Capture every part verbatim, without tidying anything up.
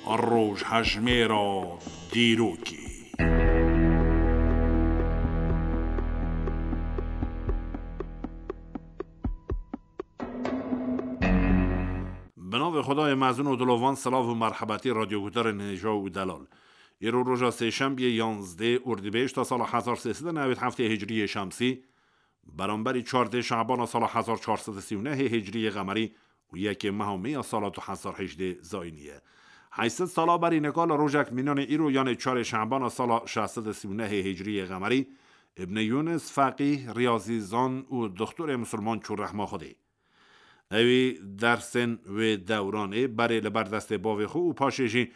Rojhejmêra dîrokê. Bi navê Xwedayê mezin û dilovan, silav û merhebetî radyoguhdarên hêja û delal. Îro roja sêşembiyê, yanzdeh Urdîbêşta sala hezar sê sed û newêd heftê hicriyê şemsî, beramberî çardê Şabana sala hezar çar sed û sî û nehê hicriyê qemerî û yekê meha mê ya sala du hezar hejdê zayînî ye. Heyşt sed sala berî nika li rojek mînanê îro, yanê çarê Şabana sala şeş sed û sî û nehê hicriyê qemerî, Ibn Yûnis, feqîh, riyazîzan û dixtorê misilman çû rehma Xwedê. Ewî dersên wê dewranê berê li ber destê bavê xwe û paşê jî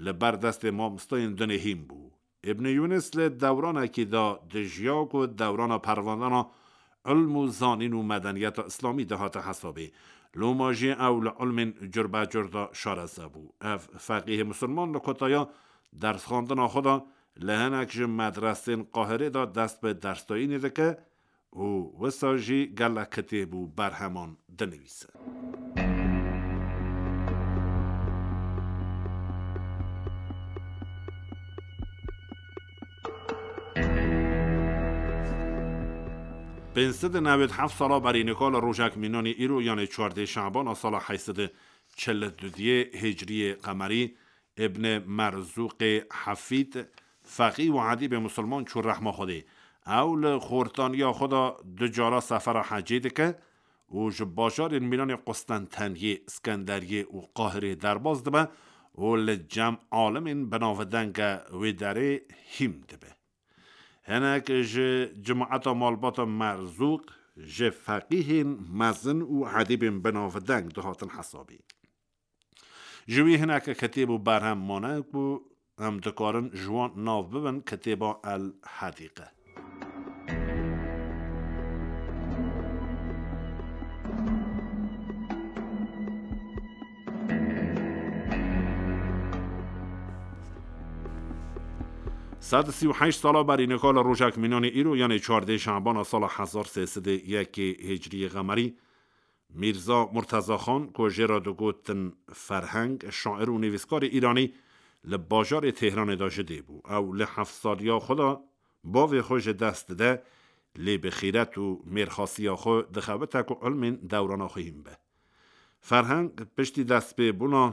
li ber destê mamosteyên dinê hîn bû. Ibn Yûnis li dewranekî de dijiya ku dewrana perwandana ilm û zanîn û medeniyeta îslamî dihate hesabê. Loma jî ew li ilmên curbecur de şareze bû. Ev feqîhê misilman li kotaya dersxwendina xwe de li hinek ji medresên Qahirê de dest bi dersdayînê dike û wisa jî gelek kitêb û berheman dinivîse. Pênc sed û newêd heft sala berî nika li rojek mînanî îro, yanê çardê Şabana sala heyşt sed û çil û duyê hicriyê qemerî, Ibn Merzûqê Hefîd, feqî û edîbê misilman çû rehma Xwedê. Ew li xortaniya xwe de du cara sefera hecê dike û ji bajarên mînanê Qustenteniyê, Skenderiyê û Qahirê derbas dibe û li cem alimên binavdenge wê derê hîn dibe. Hinek ji cemaeta malbata Merzûq ji feqîhên mezin û edîbên binavdeng dihatin hesabê. Ji wî hineke kitêb û berhem mane ku em dikarin ji wan nav bibin kitêba El Hedîqe. Sed û sî û heşt sala berî nika li rojek mînanê îro, yanê çardê Şabana sala hezar sê sed û yekê hicriyê qemerî, Mîrza Murteza Xan, ku jê re digotin Ferheng, şair û nivîskarê îranî, li bajarê Têhranê de ji dê bû. Ew li heft saliya xwe de bavê xwe ji dest dide, lê bi xîret û mêrxasiya xwe dixebite ku ilmên dewrana xwe hîn be. Ferheng piştî destpêbûna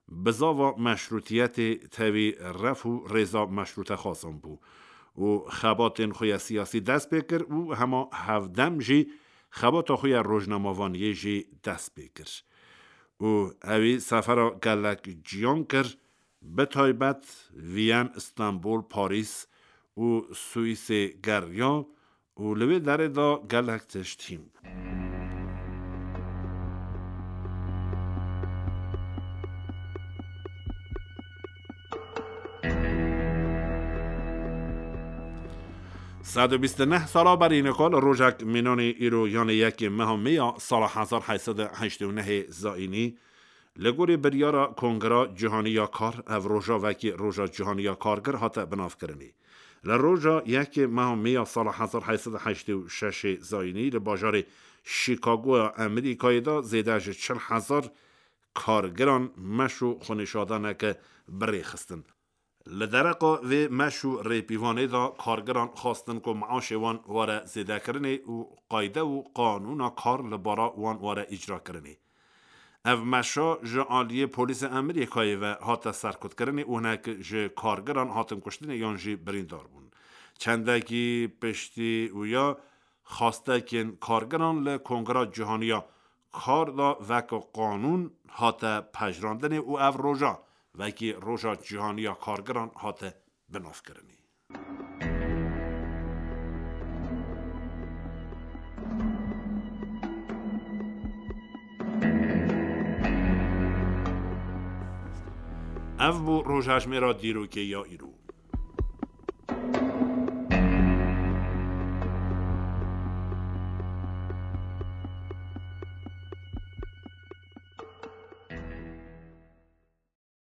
bizava meşrûtiyetê tevî ref û rêza meşrûtexwazan bû û xebatên xwe ya siyasî dest pê kir û hema hevdem jî xebata xwe ya rojnamevaniyê jî dest pê kir. Û ewî sefera gelek ciyan kir, bi taybet Viyen, Stenbol, Parîs û Swîsê geriya û li wê derê de gelek tişt hîn bû. Sed û bîst û neh sala berî nika li rojek mînanê îro, yanê yekê meha mê ya sala hezar heyt sed û heştê û nehê zayînî, li gorî biryara Kongra Cîhanî ya Kar, ev roja wekî Roja Cîhanî ya Kargir hate binavkirinê. Li roja yekê meha mê ya sala hezar heyt sed û heştê û şeşê zayînî li bajarê Şîkagoya Amerîkayê de zêde ji çil hezar kargiran meş û xwenîşadaneke bi rê xistin. Li dereqa vê meş û rêpîvanê de kargiran xwestin ku meaşê wan were zêdekirinê û qayde û qanûna kar li bara wan were îcrakirinê. Ev meşa ji aliyê polîsê Amerîkayê ve hate serkutkirinê û hinek ji kargiran hatin kuştinê yan jî birîndar bûn. Çendekî piştî wîya xwestekên kargiran li Kongra Cîhanî ya Kar de weke qanûn hate pejirandinê û ev roja wekî Roja Cîhanî ya Kargiran hate binavkirinê. Ev bû rojhejmêra dîrokê ya îro.